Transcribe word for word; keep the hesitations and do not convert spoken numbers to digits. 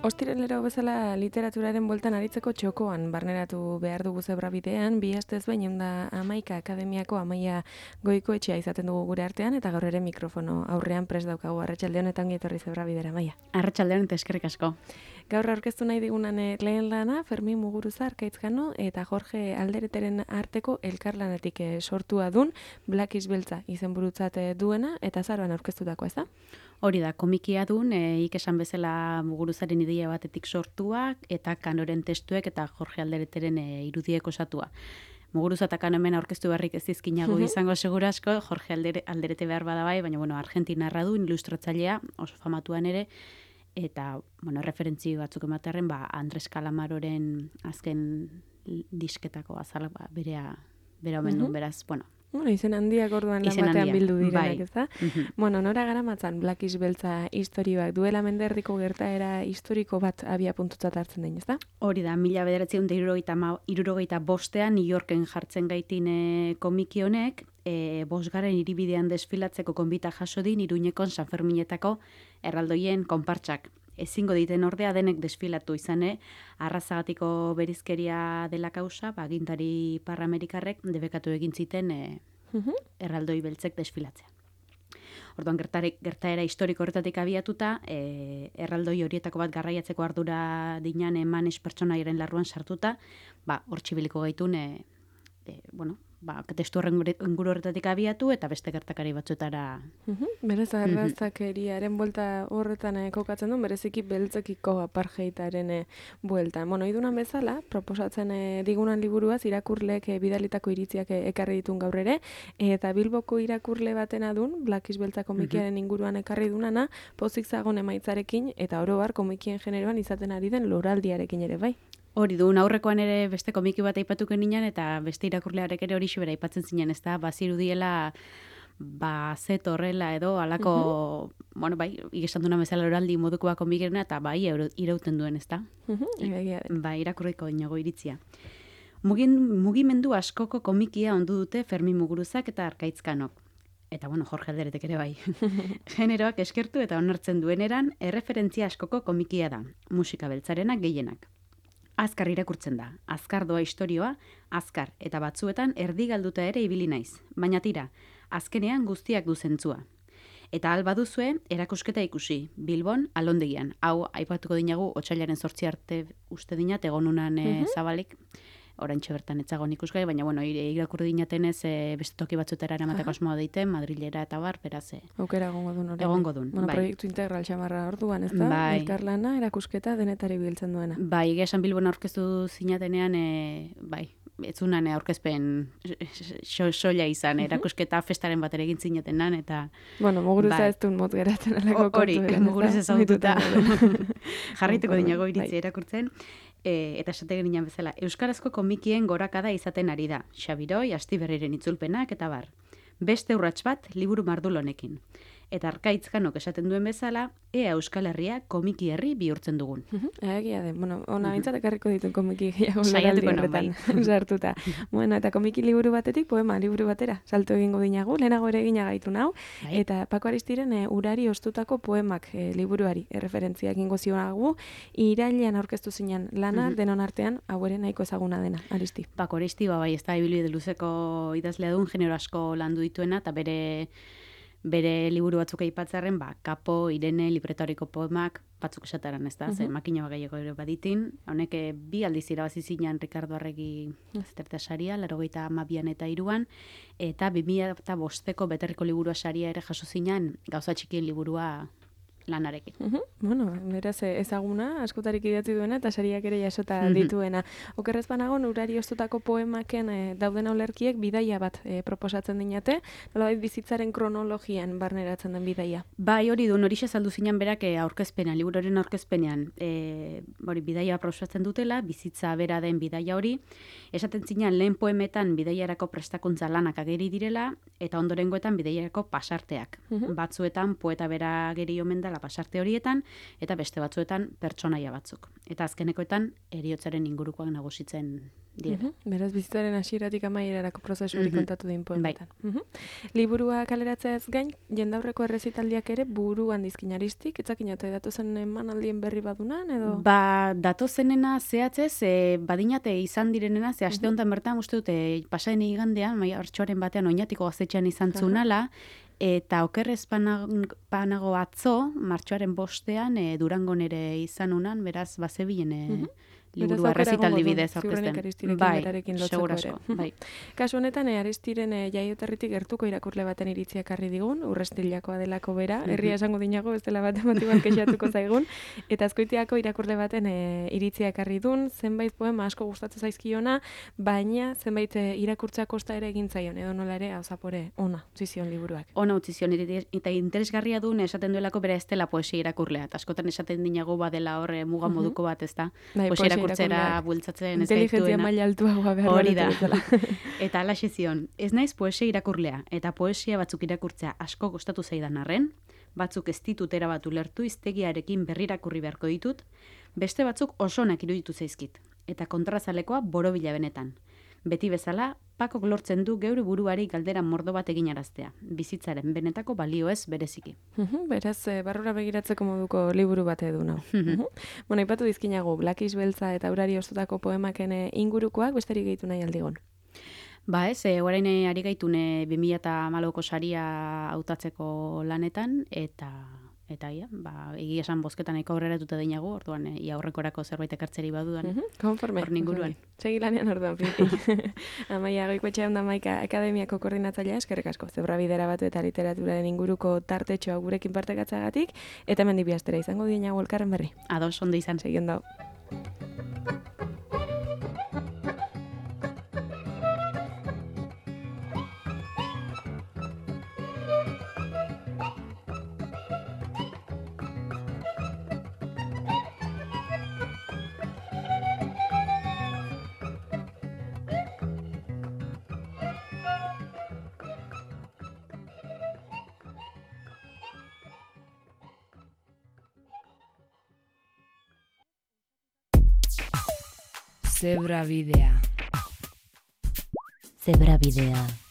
Ostiralero bezala literaturaren bueltan aritzeko txokoan barneratu behar dugu zebrabidean, bi astez behin eunda amaika akademiako Amaia Goikoetxea izaten dugu gure artean, eta gaur ere mikrofono aurrean prest daukagu. Arratsalde honetan gietorri zebrabidera, Amaia. Arratsalde honetan eskerrik asko. Gaur aurkeztu nahi digunan lehen lana, Fermin Muguruza Arkaitzkano eta Jorge Aldereteren arteko elkarlanetik sortua dun, Black is Beltza izenburutzat duena, eta azaroan aurkeztutako, ez da? Hori da, komikia dun, e, ikesan bezala Muguruzaren ideia batetik sortuak, eta Kanoren testuek eta Jorge Aldereteren e, irudiek osatua. Muguruza eta Kano hemen aurkeztu beharrik ez dizkinago izango segura asko, Jorge Aldere, Alderete behar bada bai, baina bueno, argentinarra du, ilustratzailea, oso famatuan ere, eta bueno, referentzi batzuk ematearen, ba, Andres Calamaroren azken disketako azala, ba, berea, bera omen duen, beraz, bueno, Bueno, izen handiak orduan lan batean bildu direnak, ez da? Bueno, nora garamatzan Black is Beltza historioak duela menderdiko gertaera historiko bat abia puntutzat hartzen den, ez da? Hori da, mila bederatziehun eta hirurogeita bostean New Yorken jartzen gaitin e, komiki honek, e, bosgarren hiribidean desfilatzeko konbita jaso din Iruñekon San Ferminetako erraldoien konpartsak. Ezingo diten ordea denek desfilatu izane, arrazagatiko berizkeria dela kausa, ba, agintari parramerikarrek debekatu egin ziten e, erraldoi beltzek desfilatzea. Orduan gertare, gertaera historiko horretatik abiatuta, e, erraldoi horietako bat garraiatzeko ardura dinan emanes pertsonaiaren larruan sartuta, ba, hor txibiliko gaitun, e, e, bueno, ba, testu horren inguru horretatik abiatu eta beste gertakari batzuetara. Uh-huh. Berez, arrazakeriaren buelta horretan eh, kokatzen du, bereziki beltzekiko apartheidaren eh, buelta. Bueno, idunan bezala, proposatzen eh, digunan liburuaz, irakurleek eh, bidalitako iritziak eh, ekarri ditun gaur ere, eta Bilboko irakurle batena dun, Black is Beltza komikiaren inguruan ekarri dunana, pozik zagon emaitzarekin, eta oro har komikien generoan izaten ari den loraldiarekin ere, bai? Hori du, aurrekoan ere beste komiki bat aipatuko ninen, eta beste irakurlearek ere hori xibera aipatzen zinen, ez da, bazirudiela, ba, zet horrela edo, alako, uh-huh. bueno, bai, ikesan duna bezala oraldi modukoa komikirena, eta bai, irauten duen, ez da? Uh-huh. Bai, irakurriko inago iritzia. Mugin, mugimendu askoko komikia ondu dute Fermin Muguruzak eta Arkaitzkanok. Eta, bueno, Jorge Alderetek ere bai. Generoak eskertu eta onartzen dueneran, erreferentzia askoko komikia da, musika beltzarenak gehienak. Azkar irakurtzen da, azkar doa istorioa, azkar eta batzuetan erdi galduta ere ibili naiz. Baina tira, azkenean guztiak du zentzua. Eta alba duzue, erakusketa ikusi, Bilbon, Alondegian. Hau, aipatuko dinagu, otsailaren zortzi arte uste dinat, egonunan e, uh-huh. zabalik, oraintxe bertan etzagon ikusgai, baina bueno, irakurri dinatenez e, beste toki batzuetara eramateko asmoa deiten, Madrilera eta bar, beraz. E, Aukera egongo dun hori. Egongo dun, bueno, bai. Proiektu integral xamarra orduan, ez da? Bai. Elkarlana, erakusketa, denetari biltzen duena. Bai, egia esan Bilbon aurkeztu zinatenean, e, bai, etzunan aurkezpen soila izan, erakusketa festaren batera egin zinatenan, eta... Bueno, Muguruza bai. Ez duen mot geratzen alako kontu. Hori, Muguruza ezagututa. Jarrituko dinago iritzi erakurtzen. E, eta esate ginen bezala, euskarazko komikien gorakada izaten ari da. Xabiroi, Astiberriren itzulpenak eta bar. Beste urrats bat liburu mardul honekin. Eta Arkaitzkanok esaten duen bezala, ea Euskal Herria komiki herri bihurtzen dugun. Egia den, bueno, ona bintzat ekarriko dituen komiki gehiago saiatuko horretan sartuta. Bueno, eta komiki liburu batetik, poema liburu batera, salto egingo dinagu, lehenago ere egina gaitu nau, eta Pako Aristiren e, urari ostutako poemak e, liburuari erreferentzia egingo zionagu, irailean aurkeztu zinen lana, uh-huh. denon artean, hau ere nahiko ezaguna dena, Aristi. Pako Aristi, ba, bai, ez da, ibilbide luzeko idazlea duen, genero asko landu dituena, eta bere... Bere liburu batzuk aipatzarren, ba, Kapo, Irene, libretoriko poemak, batzuk esataran, ez da, uh-huh. ze makina bagaieko ere baditin. Honek bi aldiz irabazi zinan Ricardo Arregi zerta saria, laurogeita hamabian eta hiruan, eta bi mila bosteko beterriko liburua saria ere jaso zinan, gauza txikien liburua lanarekin. Uh -huh. Bueno, beraz ezaguna, askotarik idatzi duena eta sariak ere jasota uh -huh. dituena. Okerrez banago, urari ostutako poemaken e, dauden aulerkiek bidaia bat e, proposatzen dinate, nolabait bizitzaren kronologian barneratzen den bidaia. Bai, hori du, horixe saldu zinan berak e, aurkezpenean, liburuaren aurkezpenean, e, hori bidaia proposatzen dutela, bizitza bera den bidaia hori, esaten zinan lehen poemetan bidaiarako prestakuntza lanak ageri direla, eta ondorengoetan bidaiarako pasarteak. Uh -huh. Batzuetan poeta bera ageri omen da la pasarte horietan, eta beste batzuetan pertsonaia batzuk. Eta azkenekoetan heriotzaren ingurukoak nagusitzen dira. Uh -huh. Beraz, bizitzaren hasieratik amaierarako prozesu hori uh -huh. kontatu din poemetan. Bai. Uh -huh. Liburua kaleratzeaz gain, jendaurreko errezitaldiak ere buruan dizkinaristik, etzakinote datozen emanaldien berri badunan, edo? Ba, datozenena zehatzez, e, badinate izan direnena, ze aste honetan bertan, uste dute, pasaden igandean, martxoaren batean, oinatiko gaztetxean izan zunala, eta okerrez panago atzo, martxoaren bostean, e, Durangon ere izan unan, beraz, bazebilen e, uh -huh. liburua errezitaldi bidez aurkezten. Bai, segurasko. Bai. Kasu honetan, e, Aristiren e, jaioterritik gertuko irakurle baten iritzia karri digun, Urrestilakoa delako bera, herria esango dinago, bestela bat emotibal kexatuko zaigun, eta Azkoitiako irakurle baten e, iritzia karri dun, zenbait poema asko gustatzen zaizkiona, baina zenbait e, irakurtza kosta ere egin zaion, edo nola ere, hau zapore, ona, utzizion liburuak. Ona utzizion, eta interesgarria duen esaten duelako bera ez dela poesia irakurlea, eta askotan esaten dinago badela horre muga moduko bat, ez da? Poesia irakurtzera bultzatzen ez gaituena. Inteligentzia maila altuagoa behar. Hori da. Eta alaxe zion, ez naiz poesia irakurlea, eta poesia batzuk irakurtzea asko gustatu zaidan arren, batzuk ez ditut erabat ulertu hiztegiarekin berrirakurri beharko ditut, beste batzuk oso onak iruditu zaizkit, eta kontrazalekoa borobila benetan. Beti bezala, Pakok lortzen du geure buruari galdera mordo bat eginaraztea, bizitzaren benetako balioez bereziki. Uh-huh, beraz, e, barrura begiratzeko moduko liburu bat edu nau. Uh-huh. Bueno, ipatu dizkinago, Blakiz Beltza eta Urari ostutako poemaken ingurukoak besterik gehitu nahi aldigon. Ba ez, e, orain ari gaitune bi mila hamalauko saria hautatzeko lanetan, eta... Eta ia, ba, egia esan bozketan eko aurreratuta deinago, orduan e, ia aurrekorako zerbait ekartzeri badudan. Uh -huh, konforme. Hor ninguruan. Segi lanean orduan, Pipi. Amaia, Goikoetxea Onda Maika Akademiako koordinatzailea, eskerrik asko. Zebra bidera batu eta literaturaren inguruko tartetxoa gurekin partekatzagatik, eta hemen bi astera izango dienago elkarren berri. Ados, ondo izan. Segi ondo. Zebra bidea. Zebra bidea.